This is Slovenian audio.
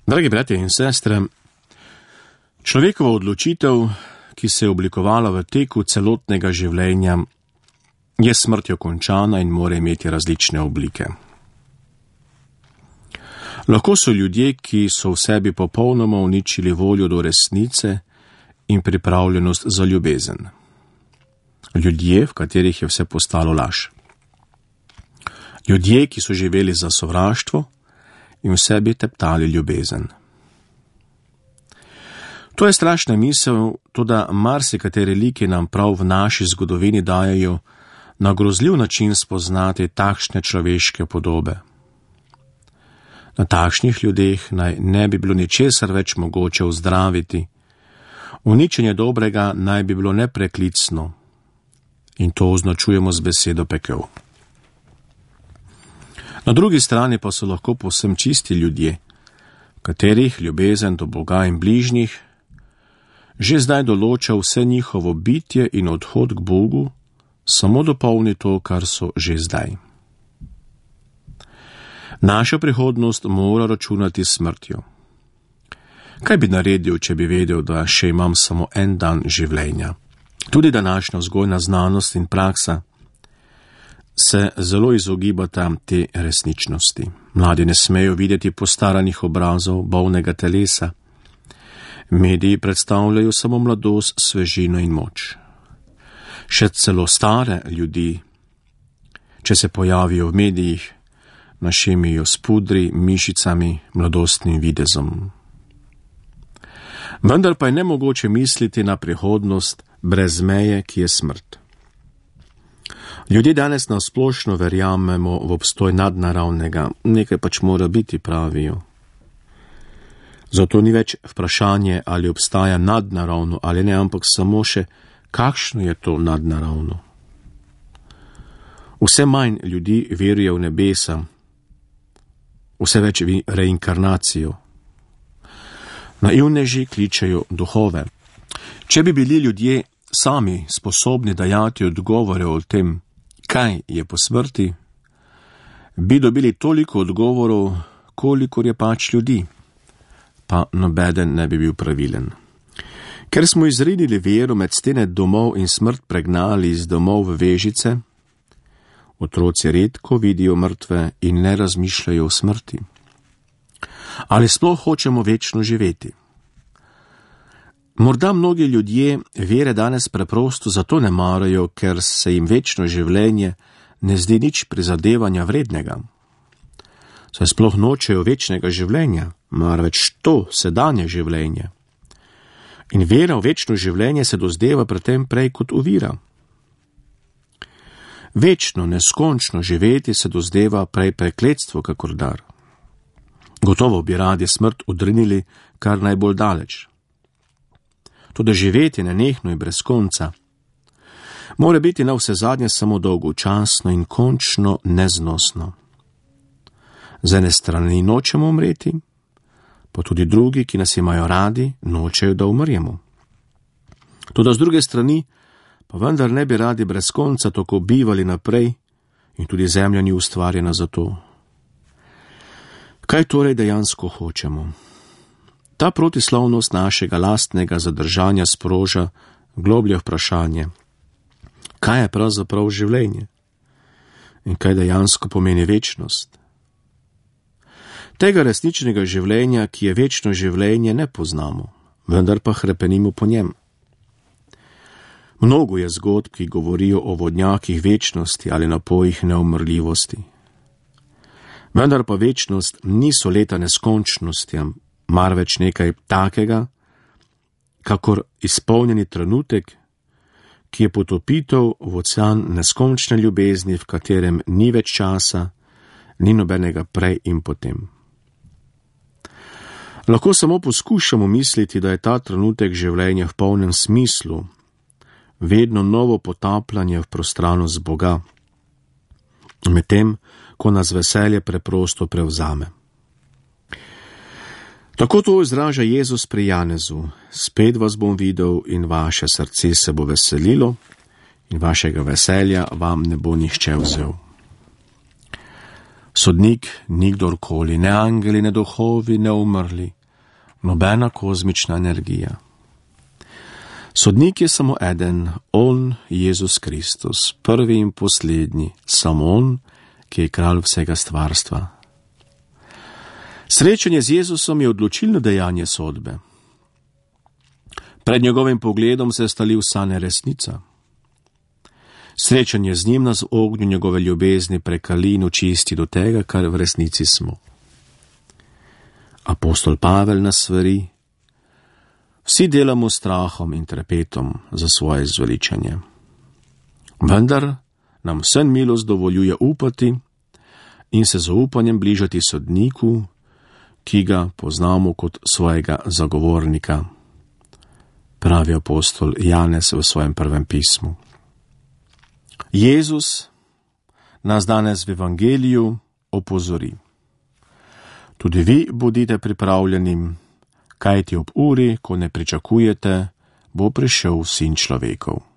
Dragi bratje in sestre, človekova odločitev, ki se je oblikovala v teku celotnega življenja, je smrtjo končana in mora imeti različne oblike. Lahko so ljudje, ki so v sebi popolnoma uničili voljo do resnice in pripravljenost za ljubezen. Ljudje, v katerih je vse postalo laž. Ljudje, ki so živeli za sovraštvo in v sebi teptali ljubezen. To je strašna misel, toda marsikateri liki nam prav v naši zgodovini dajejo na grozljiv način spoznati takšne človeške podobe. Na takšnih ljudeh naj ne bi bilo ničesar več mogoče ozdraviti, uničenje dobrega naj bi bilo nepreklicno in to označujemo z besedo pekel. Na drugi strani pa so lahko povsem čisti ljudje, katerih ljubezen do Boga in bližnjih že zdaj določa vse njihovo bitje in odhod k Bogu, samo dopolni to, kar so že zdaj. Naša prihodnost mora računati s smrtjo. Kaj bi naredil, če bi vedel, da še imam samo en dan življenja? Tudi današnja vzgojna znanost in praksa se zelo izogibata te resničnosti. Mladi ne smejo videti postaranih obrazov, bolnega telesa. Mediji predstavljajo samo mladost, svežino in moč. Še celo stare ljudi, če se pojavijo v medijih, našemijo s pudri, mišicami, mladostnim videzom. Vendar pa je nemogoče misliti na prihodnost brez meje, ki je smrt. Ljudje danes nasplošno verjamemo v obstoj nadnaravnega, nekaj pač mora biti, pravijo. Zato ni več vprašanje, ali obstaja nadnaravno ali ne, ampak samo še, kakšno je to nadnaravno. Vse manj ljudi veruje v nebesa, vse več v reinkarnacijo. Naivneži kličejo duhove. Če bi bili ljudje sami sposobni dajati odgovore o tem, kaj je po smrti, bi dobili toliko odgovorov, kolikor je pač ljudi, pa nobeden ne bi bil pravilen. Ker smo izrinili vero med stene domov in smrt pregnali iz domov v vežice, otroci redko vidijo mrtve in ne razmišljajo o smrti. Ali sploh hočemo večno živeti? Morda mnogi ljudje vere danes preprosto zato ne marajo, ker se jim večno življenje ne zdi nič prizadevanja vrednega. Saj sploh nočejo večnega življenja, marveč to sedanje življenje. In vera v večno življenje se dozdeva pri tem prej kot ovira. Večno, neskončno živeti se dozdeva prej prekletstvo kakor dar. Gotovo bi radi smrt odrinili kar najbolj daleč. Toda živeti nenehno in brez konca mora biti na vse zadnje samo dolgočasno in končno neznosno. Z ene strani nočemo umreti, pa tudi drugi, ki nas imajo radi, nočejo, da umremo. Toda z druge strani pa vendar ne bi radi brez konca tako bivali naprej in tudi zemlja ni ustvarjena za to. Kaj torej dejansko hočemo? Ta protislovnost našega lastnega zadržanja sproža globlje vprašanje. Kaj je pravzaprav življenje? In kaj dejansko pomeni večnost? Tega resničnega življenja, ki je večno življenje, ne poznamo, vendar pa hrepenimo po njem. Mnogo je zgodb, ki govorijo o vodnjakih večnosti ali napojih neumrljivosti. Vendar pa večnost niso leta neskončnosti, marveč nekaj takega, kakor izpolnjeni trenutek, ki je potopitev v ocean neskončne ljubezni, v katerem ni več časa, ni nobenega prej in potem. Lahko samo poskušamo misliti, da je ta trenutek življenja v polnem smislu, vedno novo potapljanje v prostranost Boga, medtem, ko nas veselje preprosto prevzame. Tako to izraža Jezus pri Janezu. Spet vas bom videl in vaše srce se bo veselilo in vašega veselja vam ne bo nihče vzel. Sodnik ni kdorkoli, ne angeli, ne duhovi, ne umrli, nobena kozmična energija. Sodnik je samo eden, on, Jezus Kristus, prvi in poslednji, samo on, ki je kralj vsega stvarstva. Srečanje z Jezusom je odločilno dejanje sodbe. Pred njegovim pogledom se stali vsa neresnica. Srečanje z njim nas v ognju njegove ljubezni prekali in očisti do tega, kar v resnici smo. Apostol Pavel nas svari: vsi delamo s strahom in trepetom za svoje zveličanje. Vendar nam vse milost dovoljuje upati in se z upanjem bližati sodniku, ki ga poznamo kot svojega zagovornika, pravi apostol Janez v svojem prvem pismu. Jezus nas danes v evangeliju opozori: tudi vi bodite pripravljeni, kajti ob uri, ko ne pričakujete, bo prišel Sin človekov.